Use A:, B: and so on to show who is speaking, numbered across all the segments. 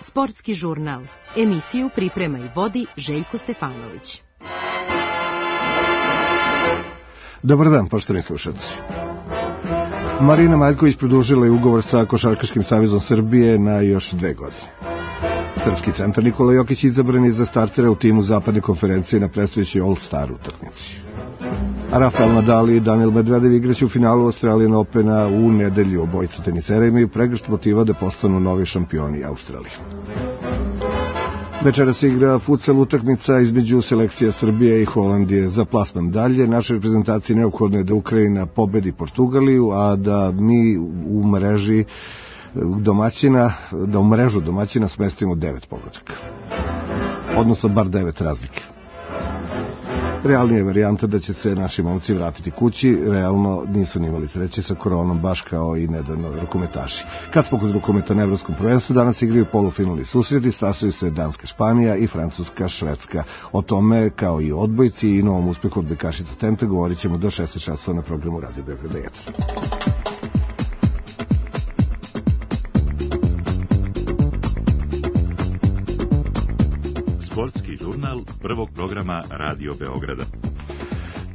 A: Sportski žurnal. Emisiju priprema i vodi Željko Stefanović.
B: Dobar dan, poštovani slušalci. Marina Maljković produžila je ugovor sa Košarkaškim savezom Srbije na još 2 godine. Srpski centar Nikola Jokić izabran je za startera u timu zapadne konferencije na predstojećoj All-Star utakmici. Rafael Nadal i Daniil Medvedev igraće u finalu Australian Opena u nedelju. Obojica tenisera imaju pregršt motiva da postanu novi šampioni Australije. Večeras se igra futsal utakmica između selekcija Srbije i Holandije za plasman dalje. Našoj reprezentaciji neophodno je da Ukrajina pobedi Portugaliju, a da mi u mreži domaćina, da u mrežu domaćina smestimo 9 pogodaka. Odnosno bar 9 razlike. Realnija je varijanta da će se naši momci vratiti kući, realno nisu ni imali sreće sa koronom, baš kao i nedavno rukometaši. Kad smo kod rukometa na evropskom prvenstvu, danas igraju polufinalni susreti, sastaju se Danska, Španija i Francuska, Švedska. O tome, kao i odbojci i novom uspehu odbojkašica Tempe, govorit ćemo do 16 časova na programu Radio Beograda 1.
C: Sportski žurnal prvog programa Radio Beograda.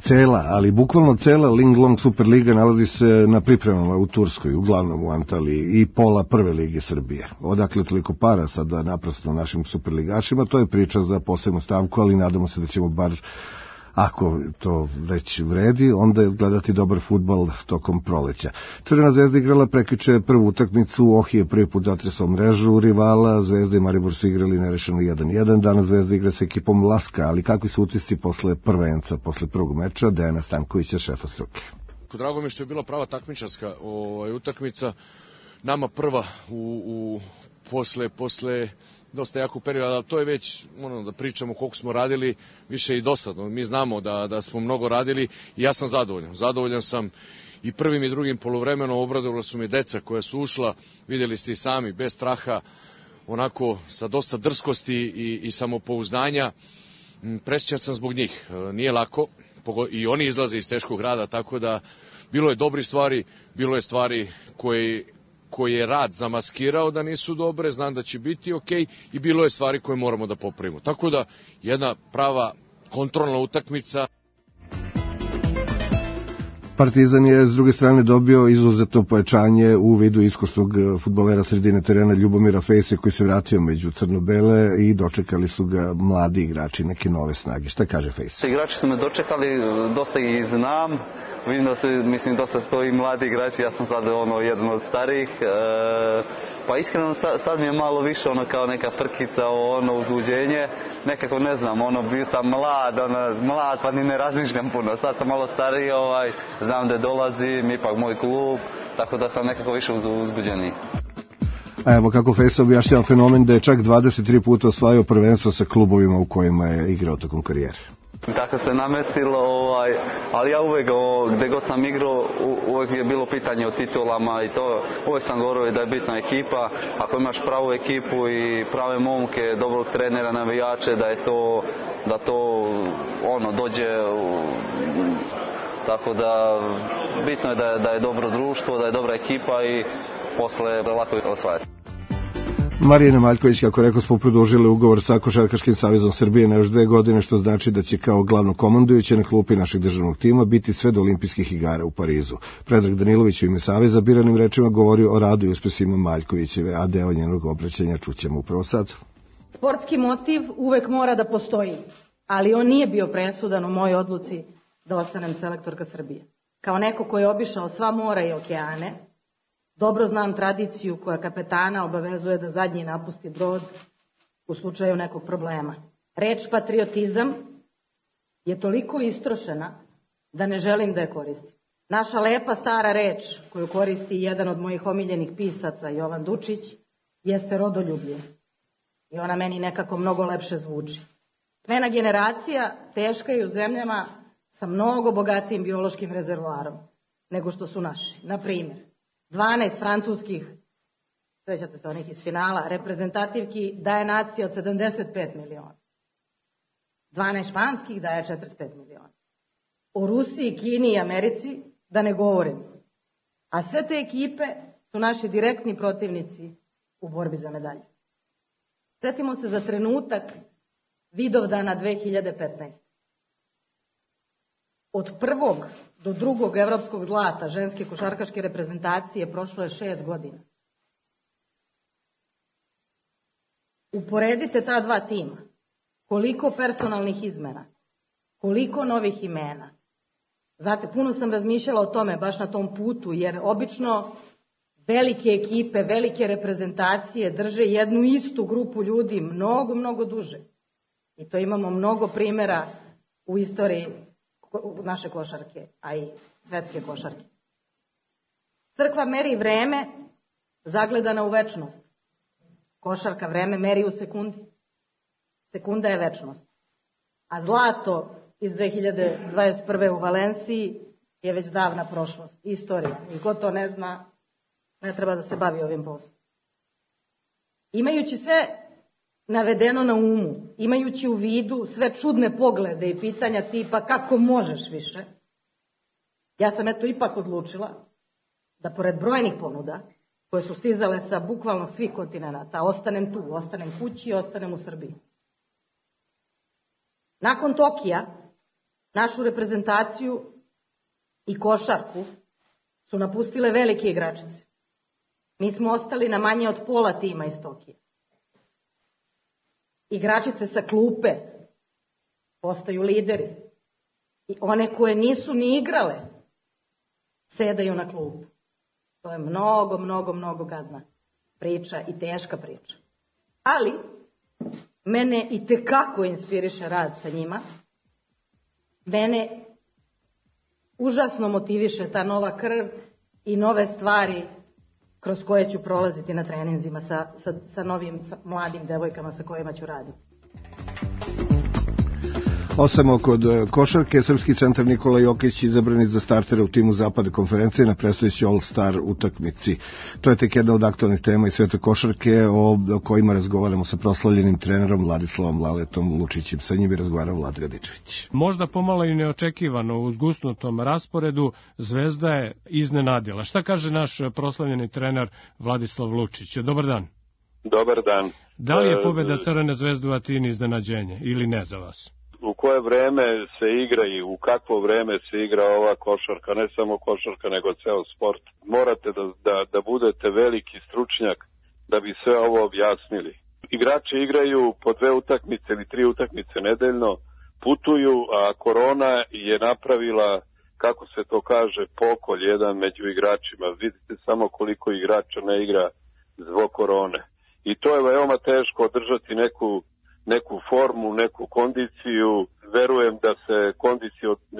B: Cela, ali bukvalno cela Linglong Superliga nalazi se na pripremama u Turskoj, uglavnom u Antaliji, i pola prve lige Srbije. Odakle toliko para sada naprosto našim superligašima, to je priča za posebnu stavku, ali nadamo se da ćemo bar, ako to već vredi, onda gledati dobar fudbal tokom proleća. Crvena zvezda igrala prekjuče prvu utakmicu, Ohije prvi put zatresao mrežu rivala, Zvezda i Maribor su igrali nerešeno 1-1, danas Zvezda igra sa ekipom Laska, ali kakvi su utisci posle prvenca, posle prvog meča, Dejana Stankovića, šefa struke.
D: Drago mi je što je bila prava takmičarska utakmica, nama prva posle dosta jakog perioda, ali to je već da pričamo koliko smo radili, više i dosadno. Mi znamo da smo mnogo radili i ja sam zadovoljan. Zadovoljan sam i prvim i drugim poluvremenom, obradovala su mi deca koja su ušla, vidjeli ste i sami, bez straha, onako sa dosta drskosti i samopouzdanja. Presrećan sam zbog njih. Nije lako i oni izlaze iz teškog rada, tako da bilo je dobrih stvari, bilo je stvari koje je rad zamaskirao da nisu dobre, znam da će biti okej, i bilo je stvari koje moramo da popravimo. Tako da jedna prava kontrolna utakmica.
B: Partizan je s druge strane dobio izuzetno pojačanje u vidu iskusnog fudbalera sredine terena Ljubomira Fejse, koji se vratio među crno-bele i dočekali su ga mladi igrači, neke nove snage. Šta kaže Fejse?
E: Igrači su me dočekali, dosta ih znam. Vidim da se, dosta stoji mladi igrači, ja sam sad jedan od starijih. Pa iskreno sad mi je malo više kao neka frkica, uzbuđenje. Nekako ne znam, bio sam mlad pa ni ne razmišljam puno. Sad sam malo stariji, znam da dolazim, ipak moj klub, tako da sam nekako više uzbuđeniji.
B: A evo kako Fejsa objašnjava fenomen da je čak 23 puta osvajao prvenstvo sa klubovima u kojima je igrao tokom karijere.
E: Tako se namestilo, ali ja uvek, gde god sam igrao, uvek je bilo pitanje o titulama i to, uvek sam govorio da je bitna ekipa, ako imaš pravu ekipu i prave momke, dobrog trenera, navijače, da to dođe, tako da bitno je da je dobro društvo, da je dobra ekipa i posle lako je osvajati.
B: Marina Maljković, kako rekao, smo produžili ugovor sa Košarkaškim savezom Srbije na još 2 godine, što znači da će kao glavno komandujuće na klupi našeg državnog tima biti sve do olimpijskih igara u Parizu. Predrag Danilović u ime saveza biranim rečima govorio o radu i uspesima Maljkovićeve, a deo njenog obraćanja čućemo upravo sad.
F: Sportski motiv uvek mora da postoji, ali on nije bio presudan u mojoj odluci da ostanem selektorka Srbije. Kao neko ko je obišao sva mora i okeane, dobro znam tradiciju koja kapetana obavezuje da zadnji napusti brod u slučaju nekog problema. Reč patriotizam je toliko istrošena da ne želim da je koristim. Naša lepa stara reč koju koristi jedan od mojih omiljenih pisaca, Jovan Dučić, jeste rodoljublje. I ona meni nekako mnogo lepše zvuči. Smena generacija teška je u zemljama sa mnogo bogatijim biološkim rezervoarom nego što su naši. Na primjer, 12 francuskih, svećate se onih iz finala, reprezentativki daje nacija od 75 miliona. 12 španskih daje 45 miliona. O Rusiji, Kini i Americi da ne govorim. A sve te ekipe su naši direktni protivnici u borbi za medalje. Sjetimo se za trenutak Vidovdana 2015. Od prvog do drugog evropskog zlata ženske košarkaške reprezentacije prošlo je 6 godina. Uporedite ta dva tima. Koliko personalnih izmena, koliko novih imena. Znate, puno sam razmišljala o tome baš na tom putu, jer obično velike ekipe, velike reprezentacije drže jednu istu grupu ljudi mnogo, mnogo duže. I to imamo mnogo primjera u istoriji naše košarke, a i svetske košarke. Crkva meri vreme zagledana u večnost. Košarka vreme meri u sekundi. Sekunda je večnost. A zlato iz 2021. u Valenciji je već davna prošlost, istorija. I ko to ne zna, ne treba da se bavi ovim poslom. Imajući sve navedeno na umu, imajući u vidu sve čudne poglede i pitanja tipa kako možeš više, ja sam ipak odlučila da pored brojnih ponuda, koje su stizale sa bukvalno svih kontinenata, ostanem tu, ostanem kući i ostanem u Srbiji. Nakon Tokija, našu reprezentaciju i košarku su napustile velike igračice. Mi smo ostali na manje od pola tima iz Tokija. Igračice sa klupe postaju lideri. I one koje nisu ni igrale sedaju na klupu. To je mnogo, mnogo, mnogo gadna priča i teška priča. Ali mene itekako inspiriše rad sa njima. Mene užasno motiviše ta nova krv i nove stvari kroz koje ću prolaziti na treninzima sa mladim devojkama sa kojima ću raditi.
B: Osamo kod košarke, srpski centar Nikola Jokić izabran za startera u timu zapadne konferencije na predstojećoj All-Star utakmici. To je tek jedna od aktualnih tema iz sveta košarke o kojima razgovaramo sa proslavljenim trenerom Vladislavom Laletom Lučićem. Sa njim je razgovarao Vlad Radičević.
G: Možda pomalo i neočekivano u zgusnutom rasporedu Zvezda je iznenadila. Šta kaže naš proslavljeni trener Vladislav Lučić? Dobar dan.
H: Dobar dan.
G: Da li je pobjeda Crvene zvezde u Atini iznenađenje ili ne za vas?
H: U koje vreme se igra i u kakvo vreme se igra ova košarka, ne samo košarka nego ceo sport. Morate da budete veliki stručnjak da bi sve ovo objasnili. Igrači igraju po 2 utakmice ili 3 utakmice nedeljno, putuju, a korona je napravila, kako se to kaže, pokolj jedan među igračima. Vidite samo koliko igrača ne igra zbog korone. I to je veoma teško održati neku formu, neku kondiciju. Verujem da se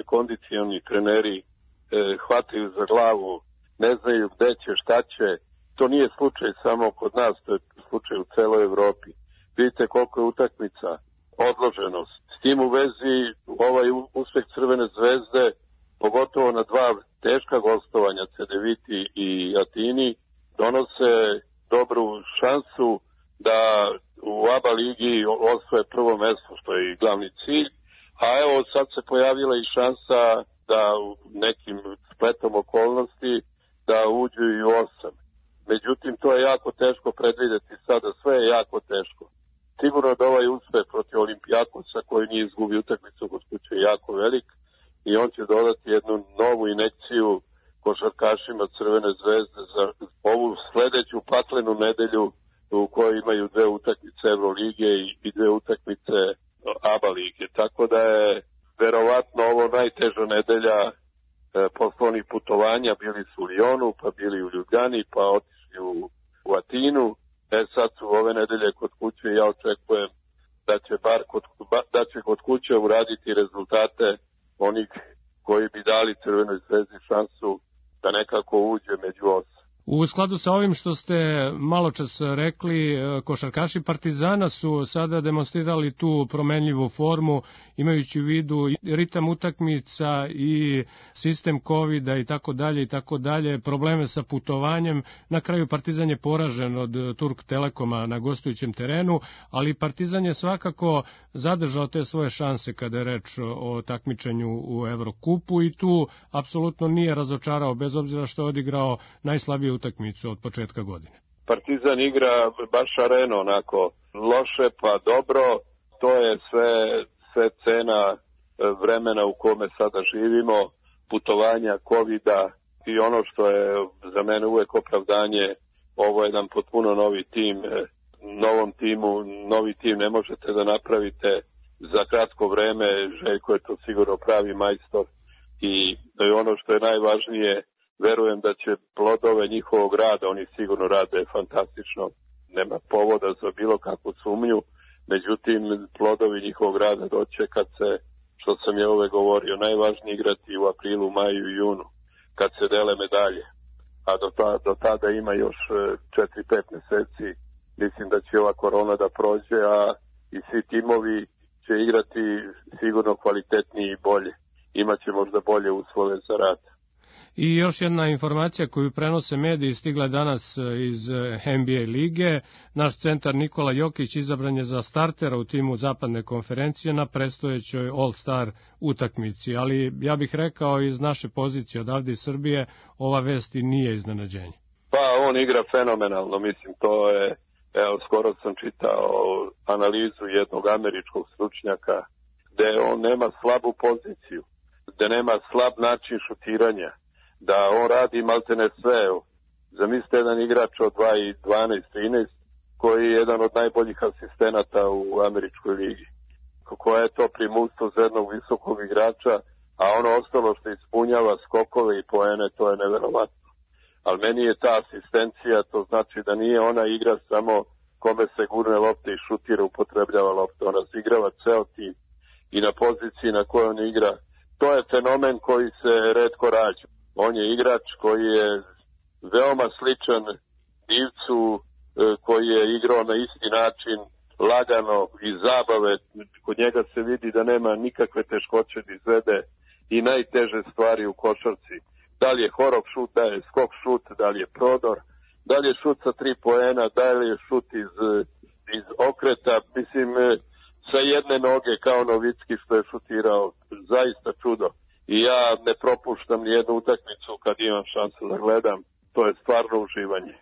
H: kondicioni treneri hvataju za glavu, ne znaju gde će, šta će. To nije slučaj samo kod nas, to je slučaj u celoj Evropi. Vidite koliko je utakmica, odloženost. S tim u vezi ovaj uspeh Crvene zvezde, pogotovo na 2 teška gostovanja, Cedeviti i Atini, donose dobru šansu da u ABA ligi osvoje prvo mesto, što je i glavni cilj, a evo sad se pojavila i šansa da u nekim spletom okolnosti da uđu i u 8. Međutim, to je jako teško predvidjeti sada, sve je jako teško. Sigurno da ovaj uspeh protiv Olimpijakosa koji nije izgubio utakmicu kod kuće je jako velik i on će dodati jednu novu injekciju košarkašima Crvene zvezde za ovu sledeću paklenu nedelju u kojoj imaju 2 utakmice Evrolige i 2 utakmice ABA lige. Tako da je verovatno ovo najteža nedelja poslovnih putovanja. Bili su u Lyonu, pa bili u Ljubljani, pa otišli u Atinu. Sad su ove nedelje kod kuće i ja očekujem da će kod kuće uraditi rezultate onih koji bi dali Crvenoj zvezdi šansu da nekako uđe među 8.
G: U skladu sa ovim što ste malo čas rekli, košarkaši Partizana su sada demonstrirali tu promenljivu formu, imajući u vidu ritam utakmica i sistem covida i tako dalje, probleme sa putovanjem. Na kraju Partizan je poražen od Turk Telekoma na gostujućem terenu, ali Partizan je svakako zadržao te svoje šanse kada je reč o takmičenju u Evrokupu i tu apsolutno nije razočarao, bez obzira što je odigrao najslabiju utakmicu od početka godine.
H: Partizan igra baš areno, onako loše pa dobro, to je sve cena vremena u kome sada živimo, putovanja, covida i ono što je za mene uvek opravdanje, ovo je jedan potpuno novi tim, novi tim ne možete da napravite za kratko vreme, Željko je to sigurno pravi majstor i ono što je najvažnije, verujem da će plodove njihovog rada, oni sigurno rade fantastično, nema povoda za bilo kakvu sumnju, međutim plodovi njihovog rada doće kad se, što sam je ove govorio, najvažnije igrati u aprilu, maju i junu, kad se dele medalje, a do tada ima još 4-5 meseci, mislim da će ova korona da prođe, a i svi timovi će igrati sigurno kvalitetnije i bolje, imaće možda bolje uslove za rad.
G: I još jedna informacija koju prenose mediji stigla danas iz NBA lige. Naš centar Nikola Jokić izabran je za startera u timu zapadne konferencije na predstojećoj All-Star utakmici. Ali ja bih rekao iz naše pozicije odavde iz Srbije, ova vest i nije iznenađenje.
H: Pa on igra fenomenalno, mislim to je, evo skoro sam čitao analizu jednog američkog stručnjaka gde on nema slabu poziciju, gde nema slab način šutiranja, da on radi maltene sve. Zamislite jedan igrač od 12-13 koji je jedan od najboljih asistenata u američkoj ligi. Koja je to primustvo za jednog visokog igrača, a ono ostalo što ispunjava skokove i poene, to je neverovatno. Ali meni je ta asistencija, to znači da nije ona igra samo kome se gurne lopte i šutira, upotrebljava lopte. Ona zigrava ceo tim i na poziciji na kojoj on igra. To je fenomen koji se retko rađa. On je igrač koji je veoma sličan Divcu, koji je igrao na isti način, lagano iz zabave. Kod njega se vidi da nema nikakve teškoće da izvede i najteže stvari u košarci. Da li je horok šut, da li je skok šut, da li je prodor, da li je šut sa 3 poena, da li je šut iz okreta. Mislim, sa jedne noge kao Novicki što je šutirao, zaista čudo. I ja ne propuštam nijednu utakmicu kad imam šansu da gledam, to je stvarno uživanje.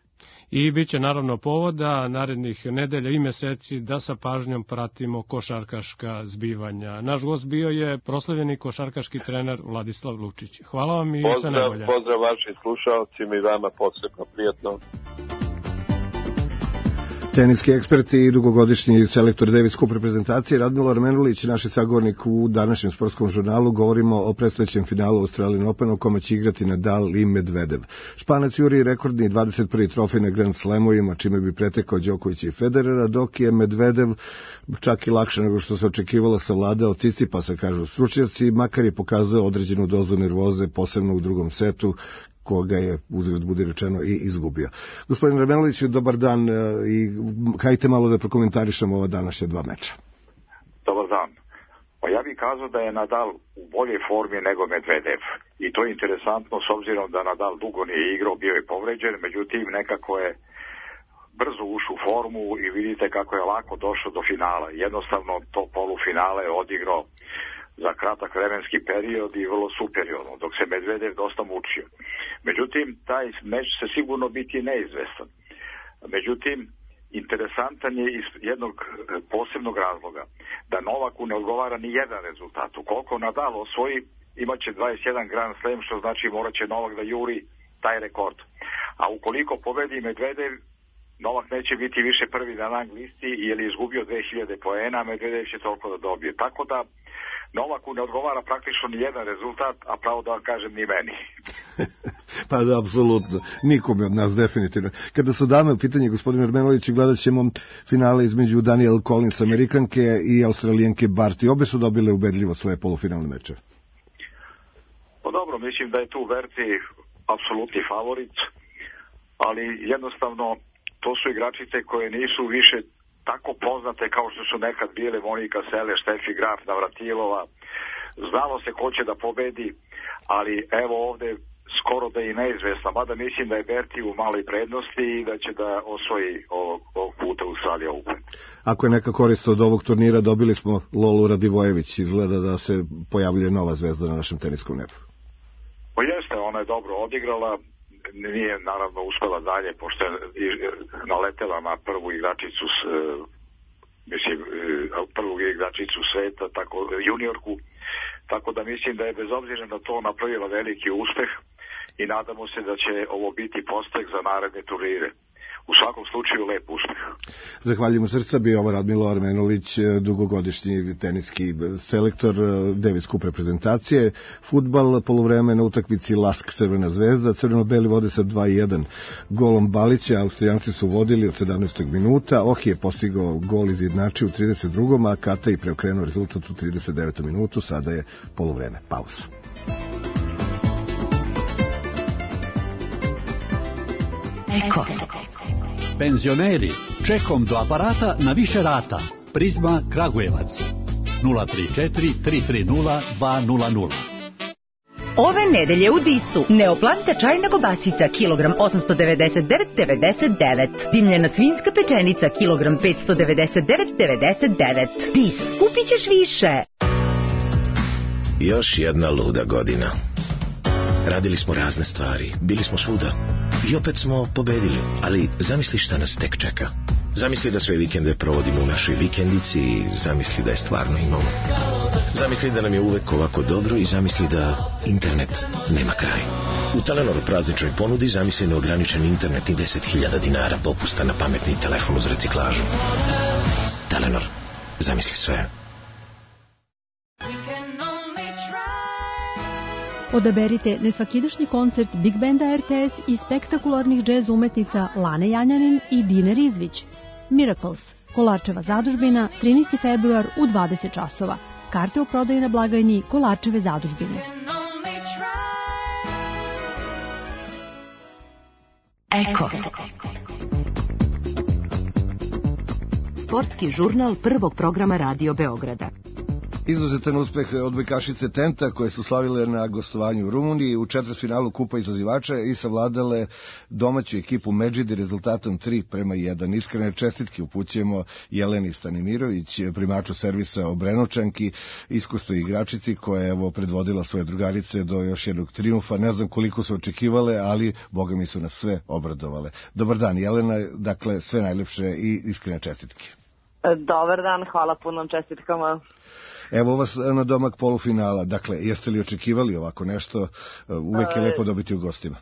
G: I bit će naravno povoda narednih nedelja i meseci da sa pažnjom pratimo košarkaška zbivanja. Naš gost bio je proslavljeni košarkaški trener Vladislav Lučić. Hvala vam i sve najbolje.
H: Pozdrav vašim slušalcima i vama posebno prijatno.
B: Teniski eksperti i dugogodišnji selektor Davis Cup reprezentacije Radmilo Menulić, naš sagovornik u današnjem sportskom žurnalu. Govorimo o predstojećem finalu Australian Open u kome će igrati Nadal i Medvedev. Španac juri rekordni 21. trofej na Grand Slamovima, čime bi pretekao Đokovića i Federera, dok je Medvedev čak i lakše nego što se očekivalo savladao Cicipasa, kažu stručnjaci, makar je pokazao određenu dozu nervoze, posebno u drugom setu, koga je, uzgled budi rečeno, i izgubio. Gospodin Ramenoviću, dobar dan i hajte malo da prokomentarišemo ova današnja dva meča.
I: Dobar dan. Pa ja bih kazao da je Nadal u boljoj formi nego Medvedev. I to je interesantno s obzirom da Nadal dugo nije igrao, bio je povređen, međutim nekako je brzo ušao u formu i vidite kako je lako došao do finala. Jednostavno to polufinale je odigrao za kratak vremenski period i vrlo superiorno, dok se Medvedev dosta mučio. Međutim, taj meč će sigurno biti neizvestan. Međutim, interesantan je iz jednog posebnog razloga, da Novaku ne odgovara ni jedan rezultat. Ukoliko Nadal osvoji, imaće 21 Grand Slam, što znači morat će Novak da juri taj rekord. A ukoliko pobedi Medvedev, Novak neće biti više prvi na rang listi jer je izgubio 2000 poena, Medvedev će toliko da dobije. Tako da Novaku ne odgovara praktično ni jedan rezultat, a pravo da vam kažem ni meni.
B: Pa da, apsolutno. Nikome od nas, definitivno. Kada su dame u pitanje, gospodin Ermenović, gledat ćemo finale između Daniel Collins, Amerikanke, i Australijanke Barty. Obe su dobile ubedljivo svoje polufinalne meče.
I: Pa dobro, mislim da je tu Barty apsolutni favorit. ali jednostavno to su igračice koje nisu više tako poznate kao što su nekad bile Monika Seles, Štefi Graf, Navratilova. Znalo se ko će da pobedi, ali evo ovde skoro da je i neizvesna, mada mislim da je Berti u maloj prednosti i da će da osvoji ovog puta Australija Open.
B: Ako je neka korist od ovog turnira, dobili smo Lolu Radivojević, izgleda da se pojavljuje nova zvezda na našem teniskom nebu.
I: Pa jeste, ona je dobro odigrala, nije naravno uspela dalje, pošto je naletela na prvu igračicu prvu igračicu sveta, tako juniorku, tako da mislim da je bez obzira na to napravila veliki uspeh i nadamo se da će ovo biti podstak za naredne turnire. U svakom slučaju lep uspeh.
B: Zahvaljujem u srca, bio ovo Radmilo Armenulić, dugogodišnji teniski selektor Davis Cup reprezentacije. Fudbal, poluvreme na utakmici Lask Crvena zvezda, crveno-beli vode sa 2-1 golom Balića, Austrijanci su vodili od 17. minuta, Ohi je postigao gol izjednačio u 32. a Kataj preokrenuo rezultat u 39. minutu, sada je poluvreme, pauza.
J: Eko. Penzioneri, čekom do aparata na više rata. Prizma Kragujevac 034 330 200.
K: Ove nedelje u Disu neoplanta čajna kobasica kilogram 899,99. Dimljena svinjska pečenica kilogram 599,99. Dis, kupit ćeš više.
L: Još jedna luda godina. Radili smo razne stvari, bili smo svuda i opet smo pobedili, ali zamisli šta nas tek čeka. Zamisli da sve vikende provodimo u našoj vikendici i zamisli da je stvarno imamo. Zamisli da nam je uvek ovako dobro i zamisli da internet nema kraj. U Telenoru prazničnoj ponudi zamisli neograničen internet i 10.000 dinara popusta na pametni telefon uz reciklažu. Telenor, zamisli sve.
M: Odaberite nesvakidašnji koncert Big Banda RTS i spektakularnih džez umetnica Lane Janjanin i Dine Rizvić. Miracles, Kolarčeva zadužbina, 13. februar u 20 časova. Karte u prodaju na blagajni Kolarčeve zadužbine.
A: Eko. Sportski žurnal prvog programa Radio Beograda.
B: Izuzetan uspeh odbojkašice Tenta koje su slavile na gostovanju u Rumuniji u četvrtfinalu Kupa izazivača i savladale domaću ekipu Medžidi rezultatom 3-1. Iskrene čestitke upućujemo Jeleni Stanimirović, primaču servisa Obrenovčanki, iskusnoj igračici koja je predvodila svoje drugarice do još jednog trijumfa. Ne znam koliko su očekivale, ali boga mi su nas sve obradovale. Dobar dan Jelena, dakle sve najlepše i iskrene čestitke.
N: Dobar dan, hvala punom čestitkama.
B: Evo vas na domak polufinala. Dakle, jeste li očekivali ovako nešto? Uvek je lepo dobiti u gostima.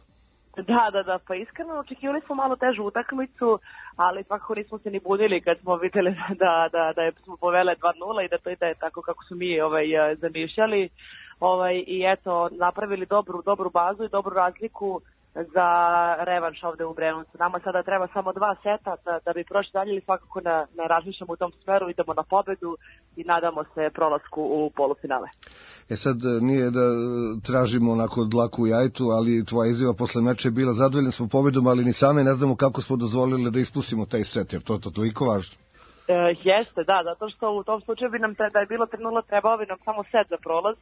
N: Da, pa iskreno očekivali smo malo težu utakmicu, ali svakako nismo se ni budili kad smo videli da smo povele 2-0 i da to ide tako kako su mi zamišljali. I eto, napravili dobru bazu i dobru razliku za revanš ovde u Brenovcu. Nama sada treba samo 2 seta da bi prošli dalje ili svakako ne razmišljamo u tom smeru, idemo na pobedu i nadamo se prolasku u polufinale.
B: Sad nije da tražimo onako dlaku u jajtu, ali tvoja izjava posle meča je bila zadovoljni smo pobedom, ali ni same ne znamo kako smo dozvolili da ispustimo taj set, jer to je toliko važno.
N: Jeste, da, zato što u tom slučaju bi nam da je bilo 3-0 trebao bi nam samo set za prolaz.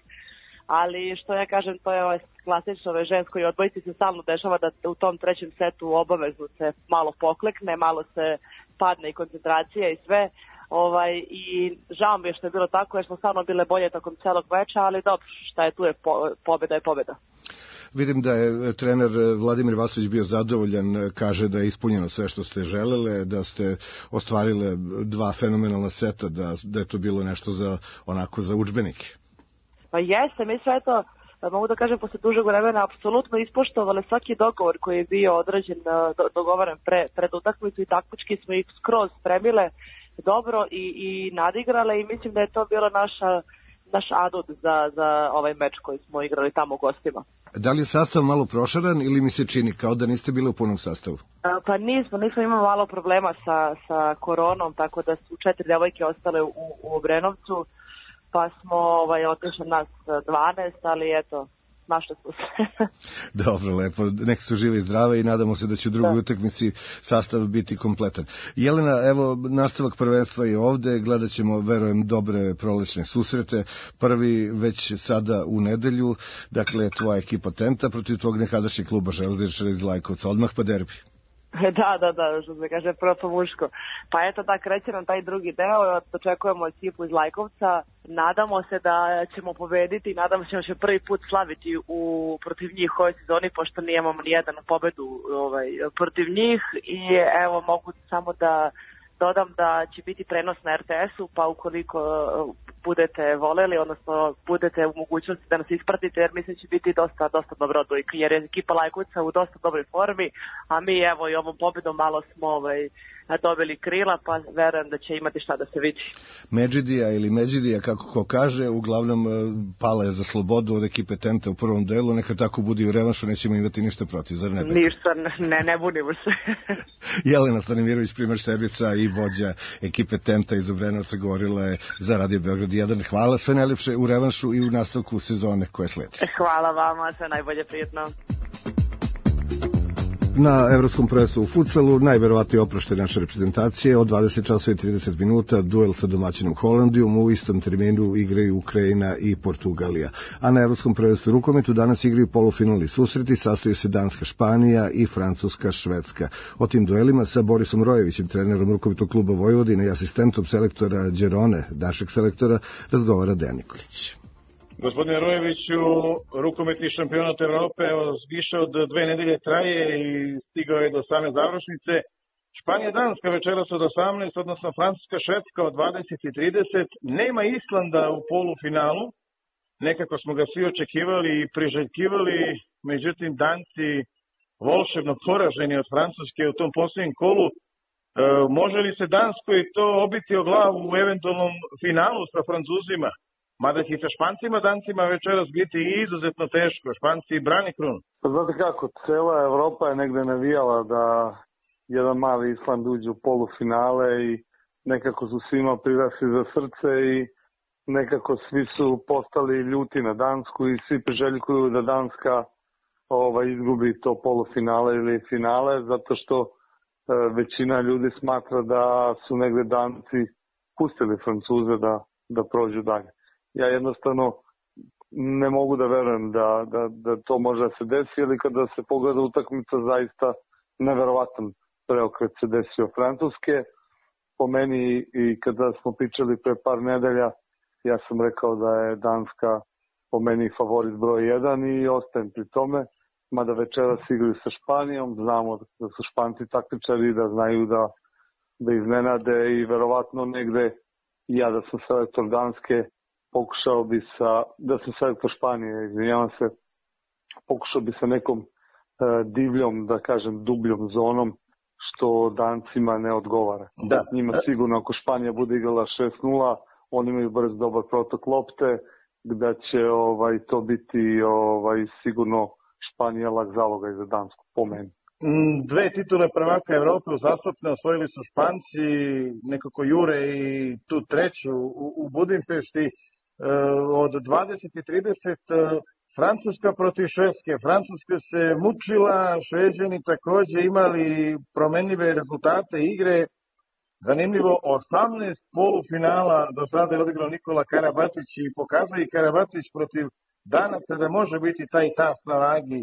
N: Ali što ja kažem, to je klasično ženskoj odbojici se stalno dešava da u tom trećem setu obavezno se malo poklekne, malo se padne i koncentracija i sve. I žao mi je što je bilo tako jer smo stvarno bile bolje tokom celog meča, ali dobro, šta je tu je pobeda je pobeda.
B: Vidim da je trener Vladimir Vasović bio zadovoljan, kaže da je ispunjeno sve što ste želele, da ste ostvarile 2 fenomenalna seta, da je to bilo nešto za udžbenike.
N: Pa jeste, mi sve to, mogu da kažem, posle dužeg vremena apsolutno ispoštovali svaki dogovor koji je bio određen, dogovoren pred utakmicu i taktički smo ih skroz spremile dobro i nadigrale i mislim da je to bilo naš adut za ovaj meč koji smo igrali tamo u gostima.
B: Da li je sastav malo prošaran ili mi se čini kao da niste bili u punom sastavu?
N: Pa nismo imali malo problema sa koronom, tako da su 4 devojke ostale u Obrenovcu. Pa smo otišli nas 12, ali eto, našle su se.
B: Dobro, lepo. Nek su žive i zdrave i nadamo se da će u drugoj utakmici sastav biti kompletan. Jelena, evo, nastavak prvenstva je ovde, gledat ćemo, verujem, dobre prolećne susrete. Prvi već sada u nedelju, dakle, tvoja ekipa Tenta protiv tvog nekadašnjeg kluba Železničara iz Lajkovca. Odmah pa derbi.
N: Da, što se kaže, prvo po muško. Pa eto, da, kreće nam taj drugi deo, očekujemo ekipu iz Lajkovca, nadamo se da ćemo pobediti, nadamo se da ćemo prvi put slaviti protiv njih u ovoj sezoni, pošto nijemamo nijednu pobedu protiv njih i evo, mogu samo da dodam da će biti prenos na RTS-u, pa ukoliko budete voleli, odnosno budete u mogućnosti da nas ispratite, jer mislim će biti dosta dobro odbojka, jer je ekipa Lajkovca u dosta dobroj formi, a mi evo i ovom pobedom malo smo dobili krila, pa verujem da će imati šta da se vidi.
B: Međidija, kako ko kaže, uglavnom pala je za slobodu od ekipe Tenta u prvom delu, neka tako bude i u revanšu, nećemo imati ništa protiv, zar ne?
N: Ništa, ne bunimo se.
B: Jelena Stanimirović, primer Šerbica i vođa ekipe Tenta iz Obrenovca, govorila je za Radio Beograd 1. Hvala, sve najlepše u revanšu i u nastavku sezone koje sledi.
N: Hvala vama, sve najbolje, prijetno.
B: Na evropskom prvenstvu u futsalu najverovatnije oproštaj naše reprezentacije od 20 časova i 30 minuta duel sa domaćinom Holandijom, u istom terminu igraju Ukrajina i Portugalija. A na evropskom prvenstvu u rukometu danas igraju polufinalni susreti, sastoji se Danska Španija i Francuska Švedska. O tim duelima sa Borisom Rojevićem, trenerom rukometnog kluba Vojvodine i asistentom selektora Đerone, našeg selektora, razgovara Dejan Nikolić.
O: Gospodine Rojeviću, rukometni šampionat Evrope više od 2 nedelje traje i stigao je do same završnice. Španija Danska večeras od 18, odnosno Francuska Švedska od 20:30. Nema Islanda u polufinalu. Nekako smo ga svi očekivali i priželjkivali, međutim Danci volšebno poraženi od Francuske u tom posljednjem kolu. Može li se Danskoj to obiti o glavu u eventualnom finalu sa Francuzima? Mada će sa Špancima, Dancima večeras biti izuzetno teško. Španci brani krunu.
P: Pa znate kako, cela Evropa je negde navijala da jedan mali Island uđe u polufinale i nekako su svima prirasli za srce i nekako svi su postali ljuti na Dansku i svi priželjkuju da Danska izgubi to polufinale ili finale, zato što većina ljudi smatra da su negde Danci pustili Francuze da prođu dalje. Ja jednostavno ne mogu da verujem da to može da se desi, ili kada se pogleda utakmica, zaista neverovatan preokret se desio Francuske. Po meni, i kada smo pričali pre par nedelja, ja sam rekao da je Danska po meni favorit broj 1 i ostajem pri tome, mada večeras igraju sa Španijom, znamo da su Španci taktičari, da znaju da iznenade i verovatno negde, ja da sam selektor Danske, pokušao bi da sam selektor Španije, izvinjavam se, pokušao bi sa nekom divljom, da kažem dubljom zonom, što Dancima ne odgovara.
O: Da.
P: Njima sigurno, ako Španija bude igrala 6-0, oni imaju brz dobar protok lopte, da će to biti sigurno Španija lak zaloga za Dansku, po meni.
O: 2 titule prvaka Evrope uzastopno osvojili su Španci, nekako jure i tu treću u Budimpešti. Od 20:30 Francuska protiv Švedske. Francuska se mučila, Šveđani takođe imali promenljive rezultate igre. Zanimljivo, 18 polufinala do sada je odigrao Nikola Karabatić i pokazuje i Karabatić protiv Danaca da može biti taj tas na vagi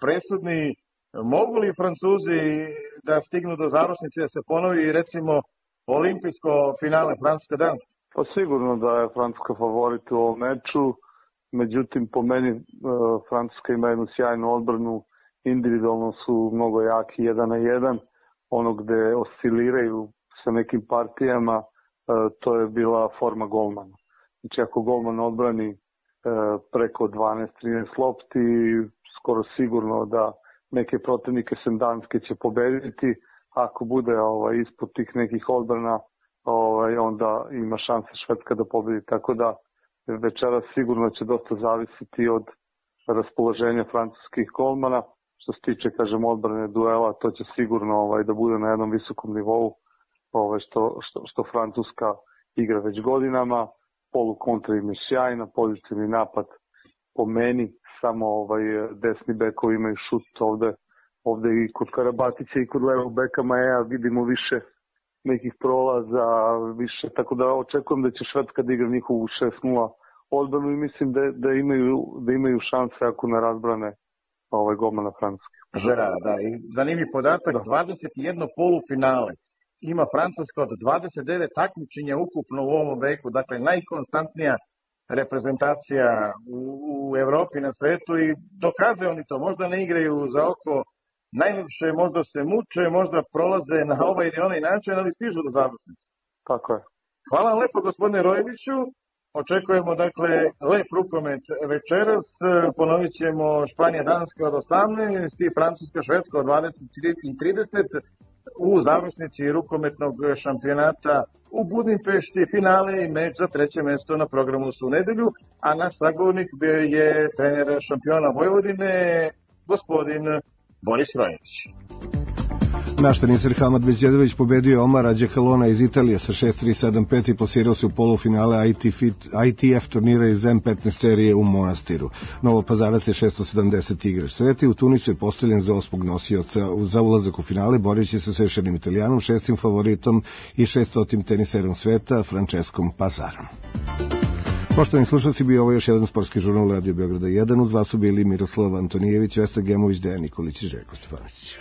O: presudni. Mogu li Francuzi da stignu do završnice, da se ponovi recimo olimpijsko finale Francuska-Danska?
P: Pa sigurno da je Francuska favorit u ovom meču, međutim po meni Francuska ima jednu sjajnu odbranu, individualno su mnogo jaki 1 na 1, ono gde osciliraju sa nekim partijama, to je bila forma golmana. Znači ako golman odbrani preko 12-13 lopti, skoro sigurno da neke protivnike sem Danske će pobediti, ako bude ispod tih nekih odbrana, onda ima šanse Švedska da pobedi, tako da večera sigurno će dosta zavisiti od raspoloženja francuskih golmana. Što se tiče, kažem, odbrane duela, to će sigurno da bude na jednom visokom nivou, što Francuska igra već godinama. Polu kontra im je sjajna, pozitivni napad po meni samo desni bekovi imaju šut ovde i kod Karabatića i kod levog beka Maja vidimo više nekih prolaza, više, tako da očekujem da će Švedska da igra njihovu 6-0 odbranu i mislim da imaju šanse ako ne razbrane golmana Francuske.
O: Žera, da, i zanimljiv podatak, 21 polufinale ima Francuska od 29 takmičenja ukupno u ovom veku, dakle najkonstantnija reprezentacija u Evropi, na svetu i dokazuju oni to, možda ne igraju za oko najljepše, možda se muče, možda prolaze na ovaj ili onaj način, ali stižu do završnice.
P: Tako je.
O: Hvala vam lepo, gospodine Rojeviću. Očekujemo, dakle, lep rukomet večeras. Ponovit ćemo Španija-Danska od 18 i Francuska-Švedska od 20:30 u završnici rukometnog šampionata u Budimpešti, finale i meč za treće mesto na programu su u nedelju, a naš sagovornik je trener šampiona Vojvodine, gospodin Boris Rojević.
B: Naš teniser Hamad Beđedović pobedio Omara Đekalona iz Italije sa 6-3-7-5 i plasirao se u polufinale ITF turnira iz M15 serije u Monastiru. Novopazarac je 670 igrač sveta i u Tunisu je postavljen za 8. nosioca za ulazak u finale, boreći se sa još jednim Italijanom, 6. favoritom i 600. teniserom sveta Franceskom Pazarom. Poštovani slušalci, bio ovo još jedan sportski žurnal Radio Beograda 1. Uz vas su bili Miroslav Antonijević, Vesna Gemović, Dejan Nikolić i Željko Stefanović.